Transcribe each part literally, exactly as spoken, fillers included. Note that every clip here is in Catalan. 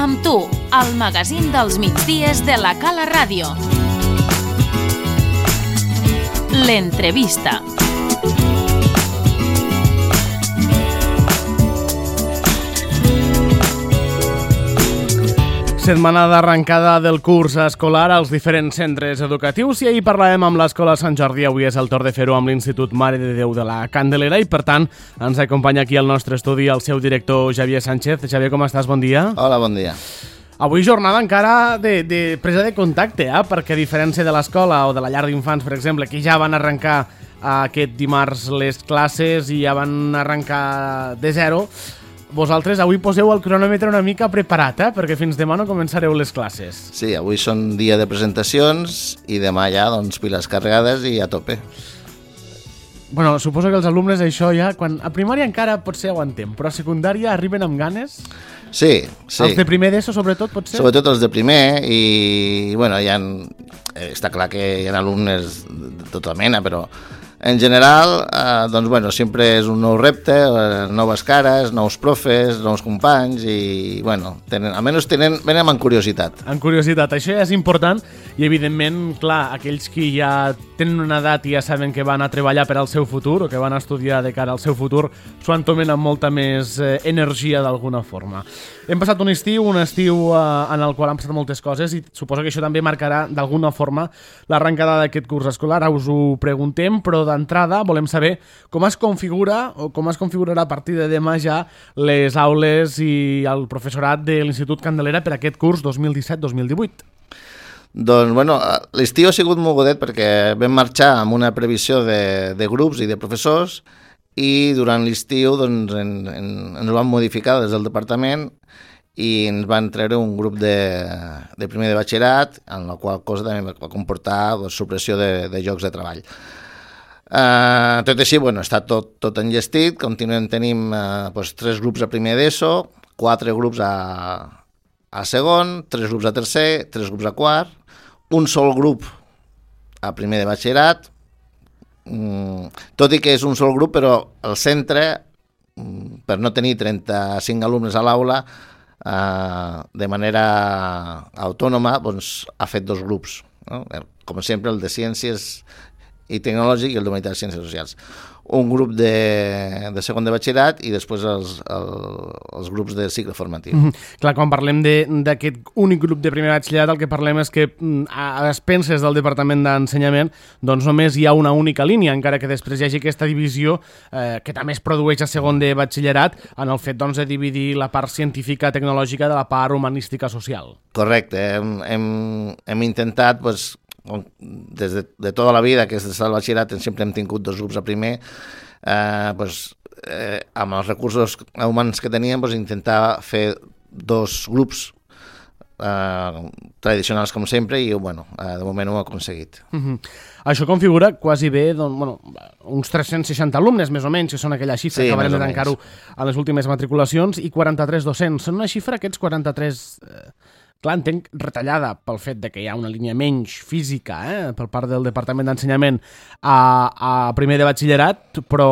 Amb tu, el magazín dels migdies de la Cala Ràdio. L'entrevista. Setmana d'arrencada del curs escolar als diferents centres educatius i ahir parlàvem amb l'Escola Sant Jordi. Avui és el torn de fer-ho amb l'Institut Mare de Déu de la Candelera i, per tant, ens acompanya aquí al nostre estudi el seu director Xavier Sánchez. Xavier, com estàs? Bon dia. Hola, bon dia. Avui jornada encara de, de presa de contacte, eh? Perquè a diferència de l'escola o de la llar d'infants, per exemple, que ja van arrencar aquest dimarts les classes i ja van arrencar de zero, vosaltres avui poseu el cronòmetre una mica preparat, eh? Perquè fins demà no començareu les classes. Sí, avui són dia de presentacions i demà ja, doncs, piles carregades i a tope. Bueno, suposo que els alumnes això ja, quan a primària encara potser aguantem, però a secundària arriben amb ganes? Sí, sí. Els de primer d'ESO, sobretot, potser? Sobretot els de primer i, bueno, hi ha, està clar que hi ha alumnes de tota mena, però en general, eh, doncs, bueno, sempre és un nou repte, eh, noves cares, nous profes, nous companys i, bueno, tenen, almenys tenen, venen amb curiositat. Amb curiositat, això ja és important i, evidentment, clar, aquells que ja tenen una edat i ja saben que van a treballar per al seu futur o que van a estudiar de cara al seu futur, s'ho entomen amb molta més eh, energia d'alguna forma. Hem passat un estiu, un estiu eh, en el qual han passat moltes coses i suposo que això també marcarà d'alguna forma l'arrencada d'aquest curs escolar. Ara us ho preguntem, però d'entrada volem saber com es configura o com es configurarà a partir de demà ja les aules i el professorat de l'Institut Candelera per aquest curs dos mil disset dos mil divuit. Doncs, bueno, l'estiu ha sigut mogudet perquè vam marxar amb una previsió de, de grups i de professors i durant l'estiu doncs, en, en, ens ho van modificar des del departament i ens van treure un grup de, de primer de batxillerat, en la qual cosa també va comportar doncs, supressió de, de llocs de treball. Uh, tot així, bueno, està tot, tot enllestit, continuem, tenim uh, doncs, tres grups a primer d'ESO, quatre grups a, a segon, tres grups a tercer, tres grups a quart, un sol grup a primer de batxillerat, mm, tot i que és un sol grup, però el centre, mm, per no tenir trenta-cinc alumnes a l'aula, uh, de manera autònoma, doncs, ha fet dos grups, no? Com sempre, el de Ciències i Tecnològic i el d'Humanitats i Ciències Socials. Un grup de, de segon de batxillerat i després els, el, els grups de cicle formatiu. Mm-hmm. Clar, quan parlem d'aquest únic grup de primer batxillerat, el que parlem és que a expenses del Departament d'Ensenyament doncs només hi ha una única línia, encara que després hi hagi aquesta divisió eh, que també es produeix a segon de batxillerat en el fet doncs, de dividir la part científica tecnològica de la part humanística social. Correcte, hem, hem, hem intentat pues, des de, de tota la vida, que és des del batxillerat sempre hem tingut dos grups a primer, eh, pues, eh, amb els recursos humans que teníem pues, intentar fer dos grups eh, tradicionals com sempre i bueno, eh, de moment ho hem aconseguit. Uh-huh. Això configura quasi bé doncs, bueno, uns tres-cents seixanta alumnes més o menys, que són aquella xifra sí, que acabarem de tancar-ho a les últimes matriculacions, i quaranta-tres docents. Són una xifra, aquests quaranta-tres... Eh, clar, entenc retallada pel fet de que hi ha una línia menys física eh, per part del Departament d'Ensenyament a, a primer de batxillerat, però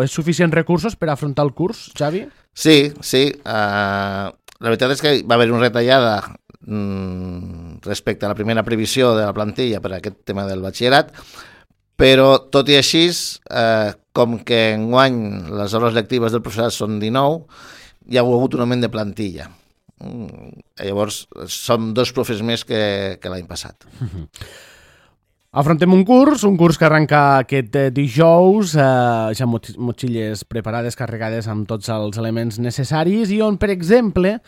és suficient recursos per afrontar el curs, Xavi? Sí, sí. Uh, la veritat és que va haver una retallada mm, respecte a la primera previsió de la plantilla per a aquest tema del batxillerat, però tot i així, uh, com que enguany les hores lectives del professorat són dinou, hi ha hagut un augment de plantilla. Llavors som dos profes més que, que l'any passat. Uh-huh. Afrontem un curs, un curs que arrenca aquest dijous, eh, ja motxilles preparades, carregades amb tots els elements necessaris i on, per exemple,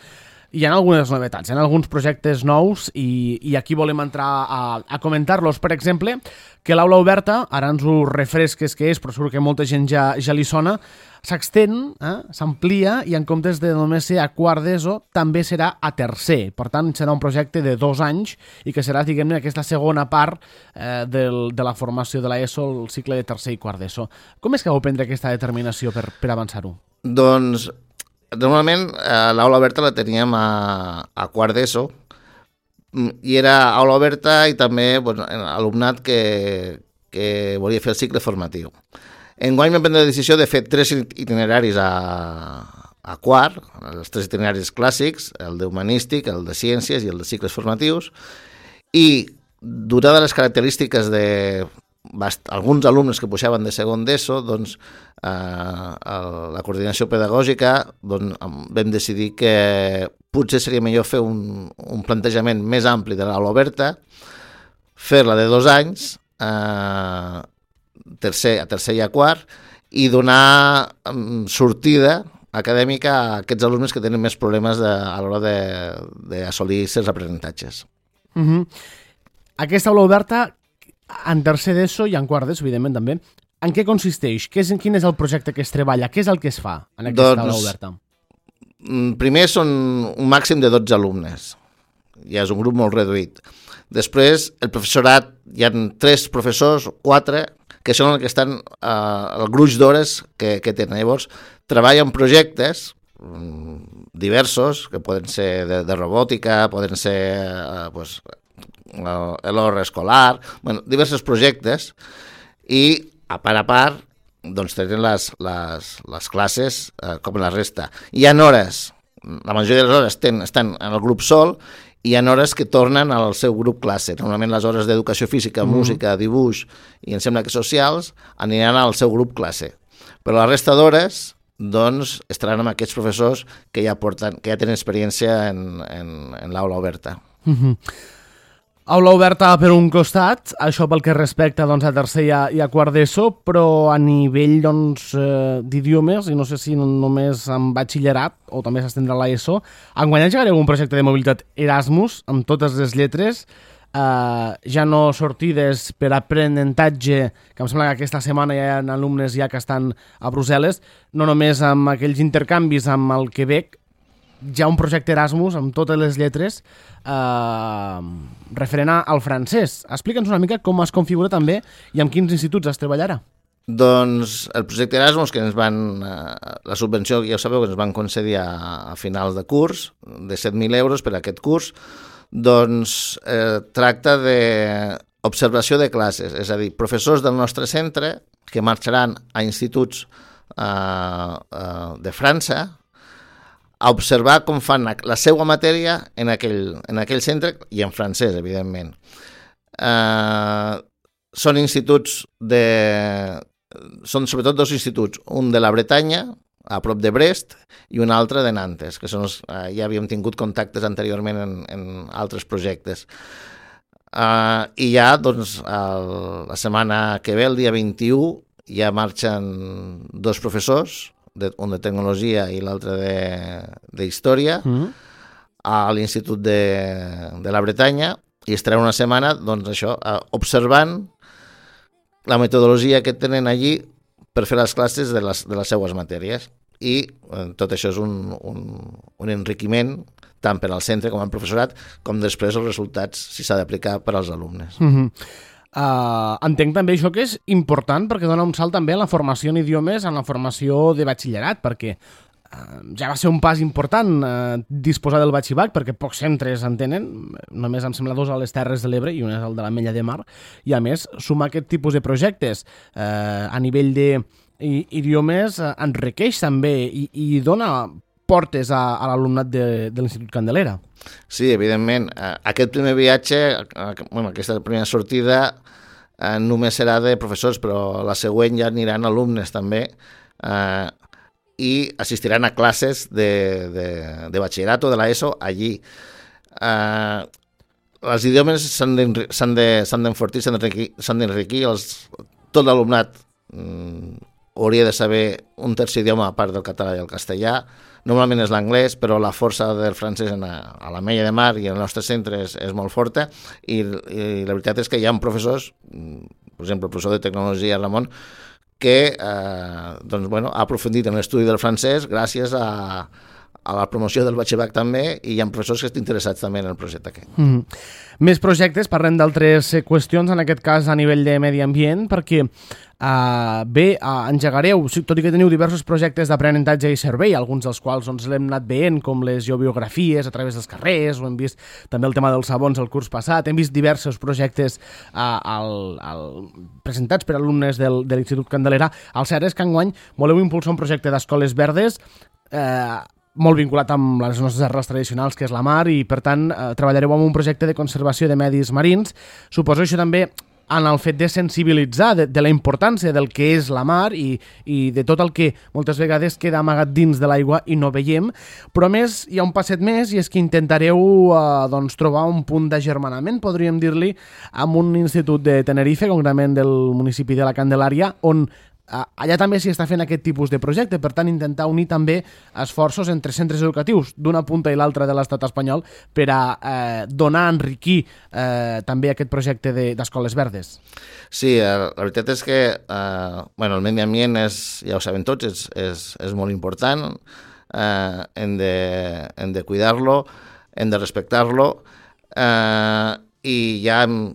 hi ha algunes novetats, hi ha alguns projectes nous i, i aquí volem entrar a, a comentar-los. Per exemple, que l'aula oberta, ara ens ho refresques que és, però segur que molta gent ja, ja li sona, s'extén, eh, s'amplia i en comptes de només ser a quart d'ESO també serà a tercer. Per tant, serà un projecte de dos anys i que serà, diguem-ne, aquesta segona part eh, del, de la formació de l'ESO, el cicle de tercer i quart d'ESO. Com és que vau prendre aquesta determinació per, per avançar-ho? Doncs, normalment, eh, l'aula oberta la teníem a, a quart d'ESO i era aula oberta i també bueno, alumnat que, que volia fer el cicle formatiu. Enguany vam prendre la decisió de fer tres itineraris a, a quart, els tres itineraris clàssics, el d'humanístic, el de ciències i el de cicles formatius, i donades les característiques de bast- alguns alumnes que pujaven de segon d'ESO, doncs, eh, el, la coordinació pedagògica, doncs, vam decidir que potser seria millor fer un, un plantejament més ampli de l'aula oberta, fer-la de dos anys, eh, tercer, a tercer i a quart, i donar um, sortida acadèmica a aquests alumnes que tenen més problemes de, a l'hora d'assolir certs aprenentatges. Uh-huh. Aquesta aula oberta, en tercer d'ESO i en quart d'ESO, evidentment, també, en què consisteix? Què és, quin és el projecte que es treballa? Què és el que es fa en aquesta doncs, aula oberta? Primer són un màxim de dotze alumnes. Ja és un grup molt reduït. Després, el professorat, hi ha tres professors, quatre, que són els que estan eh, el gruix d'hores que, que tenen. Llavors, treballen projectes diversos, que poden ser de, de robòtica, poden ser eh, pues, l'hora escolar, bueno, diversos projectes, i a part a part doncs tenen les, les, les classes eh, com la resta. Hi ha hores, la majoria de les hores ten, estan en el grup sol, i hi ha hores que tornen al seu grup classe. Normalment les hores d'educació física, mm. música, dibuix i em sembla que socials aniran al seu grup classe. Però la resta d'hores doncs, estaran amb aquests professors que ja, porten, que ja tenen experiència en, en, en l'aula oberta. Mm-hmm. Aula oberta per un costat, això pel que respecta doncs, a tercer i a, i a quart d'ESO, però a nivell doncs, eh, d'idiomes, i no sé si no, només en batxillerat o també s'estendrà a l'ESO, enguany engegareu un projecte de mobilitat Erasmus amb totes les lletres, eh, ja no sortides per aprenentatge, que em sembla que aquesta setmana hi ha alumnes ja que estan a Brussel·les, no només amb aquells intercanvis amb el Quebec, ja un projecte Erasmus amb totes les lletres eh, referent al francès. Explica'ns una mica com es configura també i amb quins instituts es treballarà. Doncs el projecte Erasmus, que ens van, eh, la subvenció, ja ho sabeu, que ens van concedir a, a finals de curs, de set mil euros per a aquest curs, doncs eh, tracta d'observació de classes, és a dir, professors del nostre centre que marxaran a instituts eh, eh, de França a observar com fan la seva matèria en aquell, en aquell centre i en francès, evidentment. Eh, són instituts de... Són sobretot dos instituts, un de la Bretanya, a prop de Brest, i un altre de Nantes, que són els, eh, ja havíem tingut contactes anteriorment en, en altres projectes. Eh, I ja, doncs, el, la setmana que ve, el dia vint-i-u, ja marxen dos professors, de, un de tecnologia i l'altre d'història, mm-hmm. a l'Institut de, de la Bretanya, i estarà una setmana, doncs això, observant la metodologia que tenen allí per fer les classes de les, de les seues matèries. I eh, tot això és un, un, un enriquiment tant per al centre com al professorat, com després els resultats, si s'ha d'aplicar per als alumnes. Mm-hmm. Uh, entenc també això que és important perquè dona un salt també en la formació en idiomes, en la formació de batxillerat, perquè uh, ja va ser un pas important uh, disposar del batxibac, perquè pocs centres en tenen, només em sembla dos a les Terres de l'Ebre i un és el de l'Ametlla de Mar, i a més sumar aquest tipus de projectes uh, a nivell d'idiomes uh, enriqueix també i, i dona portes a, a l'alumnat de, de l'Institut Candelera. Sí, evidentment. Aquest primer viatge, bueno, aquesta primera sortida, eh, només serà de professors, però la següent ja aniran alumnes també eh, i assistiran a classes de, de, de batxillerat o de l'ESO allí. Eh, els idiomes s'han d'enfortir, s'han d'enriquir, tot l'alumnat mm, hauria de saber un tercer idioma a part del català i el castellà. Normalment és l'anglès, però la força del francès a, a l'Ametlla de Mar i el nostre centre és, és molt forta, i, i la veritat és que hi ha professors, per exemple, el professor de tecnologia Ramon, que eh, doncs, bueno, ha aprofundit en l'estudi del francès gràcies a, a la promoció del batxillerat també, i hi ha professors que estan interessats també en el projecte aquest. Mm. Més projectes, parlem d'altres qüestions, en aquest cas a nivell de medi ambient, perquè Uh, bé, uh, engegareu, tot i que teniu diversos projectes d'aprenentatge i servei, alguns dels quals doncs, l'hem anat veient, com les geobiografies a través dels carrers, o hem vist també el tema dels sabons el curs passat, hem vist diversos projectes uh, al, al, presentats per alumnes del, de l'Institut Candelera. El cert és que enguany voleu impulsar un projecte d'escoles verdes eh, molt vinculat amb les nostres arrels tradicionals, que és la mar, i per tant eh, treballareu en un projecte de conservació de medis marins. Suposo això també en el fet de sensibilitzar de, de la importància del que és la mar i, i de tot el que moltes vegades queda amagat dins de l'aigua i no veiem, però a més hi ha un passet més, i és que intentareu eh, doncs, trobar un punt d'agermanament, podríem dir-li, amb un institut de Tenerife, concretament del municipi de la Candelària, on allà també s'hi està fent aquest tipus de projecte, per tant intentar unir també esforços entre centres educatius d'una punta i l'altra de l'estat espanyol per a eh, donar, enriquir eh, també aquest projecte d'escoles verdes. Sí, la veritat és que eh, bueno, el medi ambient és, ja ho saben tots, és, és, és molt important, eh, hem de, hem de cuidar-lo, hem de respectar-lo, eh, i ja hem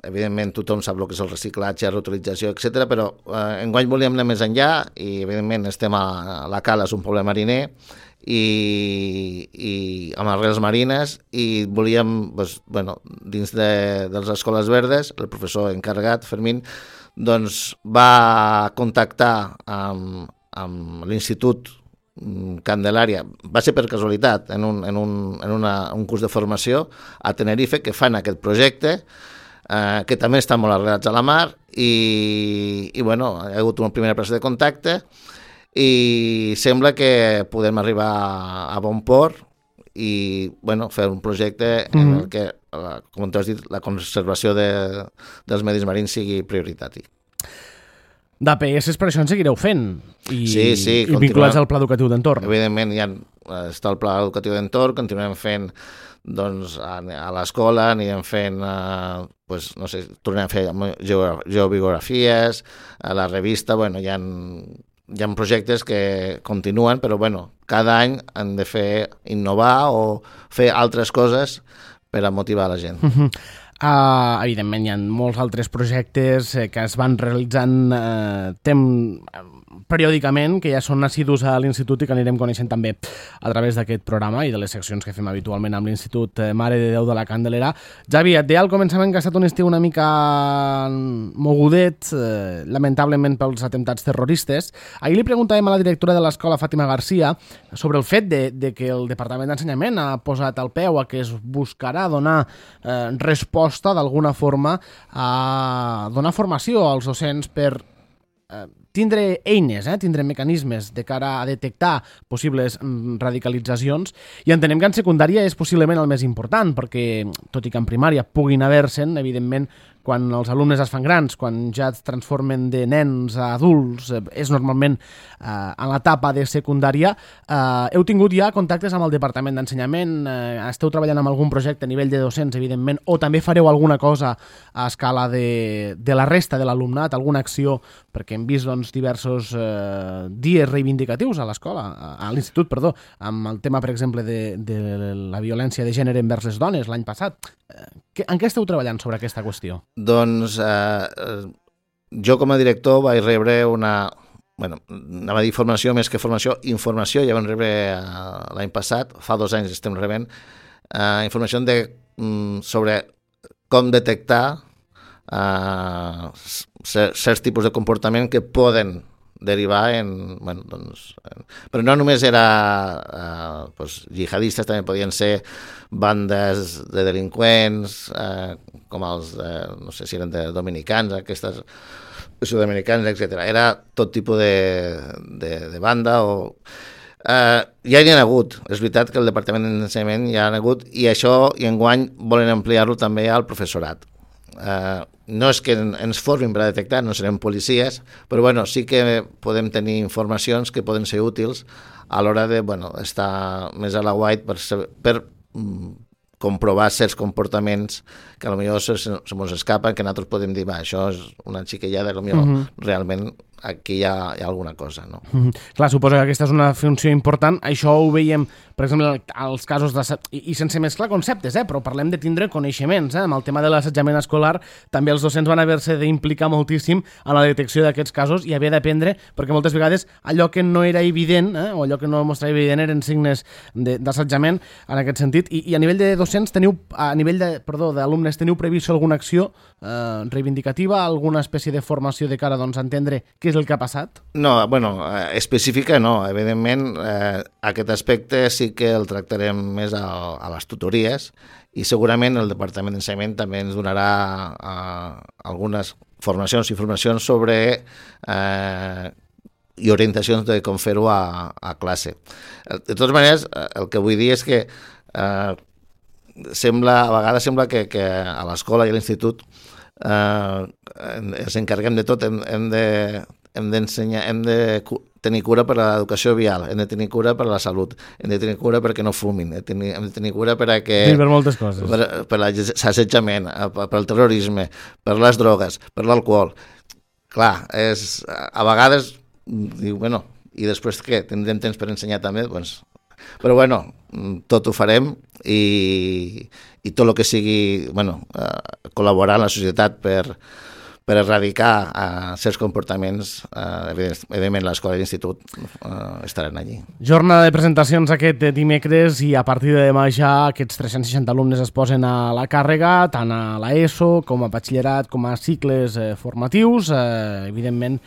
evidentment tothom sap el que és el reciclatge, reutilització, etcètera, però eh, enguany volíem anar més enllà i evidentment estem a la Cala, és un poble mariner i, i amb arrels marines, i volíem, doncs, bueno, dins de, de les escoles verdes, el professor encarregat, Fermín, doncs va contactar amb, amb l'Institut Candelària, va ser per casualitat, en, un, en, un, en una, un curs de formació a Tenerife, que fan aquest projecte, eh, que també estan molt arrelats a la mar, i, i bueno, hi ha hagut una primera presa de contacte i sembla que podem arribar a bon port i bueno, fer un projecte mm-hmm. en el que, com tu has dit, la conservació de, dels medis marins sigui prioritari. D'A P S per això en seguireu fent i, sí, sí, i vinculats al Pla Educatiu d'Entorn. Evidentment ja està el Pla Educatiu d'Entorn, continuem fent doncs, a, a l'escola, anirem fent, eh, pues, no sé, tornem a fer geobiografies, a la revista, bueno, hi ha, hi ha projectes que continuen, però bueno, cada any han de fer innovar o fer altres coses per a motivar la gent. Uh-huh. Uh, evidentment hi ha molts altres projectes eh, que es van realitzant eh, tem, periòdicament, que ja són assidus a l'Institut i que anirem coneixent també a través d'aquest programa i de les seccions que fem habitualment amb l'Institut Mare de Déu de la Candelera. Javi, et deia al començament que ha estat un estiu una mica mogudet, eh, lamentablement pels atemptats terroristes. Ahir li preguntàvem a la directora de l'escola, Fàtima Garcia, sobre el fet de, de que el Departament d'Ensenyament ha posat al peu a que es buscarà donar eh, resposta d'alguna forma a donar formació als docents per eh, tindre eines, eh, tindre mecanismes de cara a detectar possibles mm, radicalitzacions, i entenem que en secundària és possiblement el més important, perquè tot i que en primària puguin haver-se'n, evidentment, quan els alumnes es fan grans, quan ja es transformen de nens a adults, eh, és normalment eh, en l'etapa de secundària. Eh, heu tingut ja contactes amb el Departament d'Ensenyament? Eh, esteu treballant amb algun projecte a nivell de docents, evidentment, o també fareu alguna cosa a escala de, de la resta de l'alumnat, alguna acció, perquè hem vist doncs, diversos eh, dies reivindicatius a l'escola, a l'institut, perdó, amb el tema, per exemple, de, de la violència de gènere envers les dones l'any passat. Eh, en què esteu treballant sobre aquesta qüestió? Doncs eh, jo com a director vaig rebre una, bueno, anava a dir formació més que formació, informació, ja vam rebre eh, l'any passat, fa dos anys estem rebent, eh, informació de, mm, sobre com detectar eh, certs tipus de comportament que poden derivar en... Bueno, doncs, en però no només era eh, doncs, jihadistes, també podien ser bandes de delinqüents, eh, com els, eh, no sé si eren de dominicans, aquestes sud-americans, etcètera. Era tot tipus de, de, de banda o... Eh, ja hi ha hagut, és veritat que el Departament d'Ensenyament hi ha hagut, i això, i enguany, volen ampliar-lo també al professorat. Uh, no és que ens formin per a detectar, no serem policies, però bueno, sí que podem tenir informacions que poden ser útils a l'hora de bueno, estar més a la guait per, per mm, comprovar certs comportaments que potser se, se mos escapen, que nosaltres podem dir, va, això és una xiquellada, potser uh-huh. realment aquí hi ha, hi ha alguna cosa, no? Uh-huh. Clar, suposo que aquesta és una funció important. Això ho veiem, per exemple, als casos de... I, i sense mesclar conceptes, eh? Però parlem de tindre coneixements, eh? Amb el tema de l'assetjament escolar, també els docents van haver-se d'implicar moltíssim en la detecció d'aquests casos i haver d'aprendre, perquè moltes vegades allò que no era evident, eh? O allò que no mostrava evident eren signes d'assetjament en aquest sentit. I, i a nivell de docents teniu, a nivell de, perdó, d'alumnes, teniu previst alguna acció eh, reivindicativa, alguna espècie de formació de cara doncs, a entendre què és és el que ha passat? No, bueno, específica no. Evidentment, eh, aquest aspecte sí que el tractarem més a, a les tutories i segurament el Departament d'Ensenyament també ens donarà eh, algunes formacions i formacions sobre eh, i orientacions de com fer-ho a, a classe. De totes maneres, el que vull dir és que eh, sembla, a vegades sembla que, que a l'escola i a l'institut eh, ens encarreguem de tot, hem, hem de hem d'ensenyar, hem de tenir cura per a l'educació vial, hem de tenir cura per a la salut, hem de tenir cura perquè no fumin, hem de tenir, hem de tenir cura per a que... Sí, per moltes coses. Per, per l'assetjament, per al terrorisme, per les drogues, per l'alcohol. Clar, és, a vegades diu, bueno, i després què? Tindrem temps per ensenyar també? Doncs, però bueno, tot ho farem i, i tot el que sigui, bueno, eh, col·laborar en la societat per per erradicar uh, certs comportaments, uh, evidentment l'escola i l'institut uh, estaran allí. Jornada de presentacions aquest dimecres i a partir de demà ja aquests tres-cents seixanta alumnes es posen a la càrrega, tant a l'ESO com a batxillerat com a cicles eh, formatius, eh, evidentment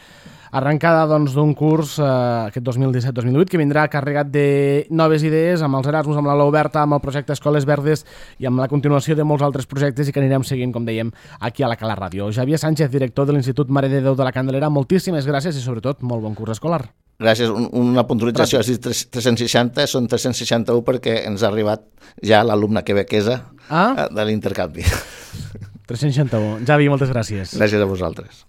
arrencada doncs, d'un curs eh, aquest dos mil disset dos mil divuit que vindrà carregat de noves idees amb els Erasmus, amb l'aula oberta, amb el projecte Escoles Verdes i amb la continuació de molts altres projectes i que anirem seguint, com dèiem, aquí a la Cala Ràdio. Javier Sánchez, director de l'Institut Mare de Déu de la Candelera, moltíssimes gràcies i sobretot molt bon curs escolar. Gràcies. Un, una puntualització, has dit tres-cents seixanta, són tres-cents seixanta-u perquè ens ha arribat ja l'alumne quebequesa ah? de l'intercanvi. tres-cents seixanta-u. Javi, moltes gràcies. Gràcies a vosaltres.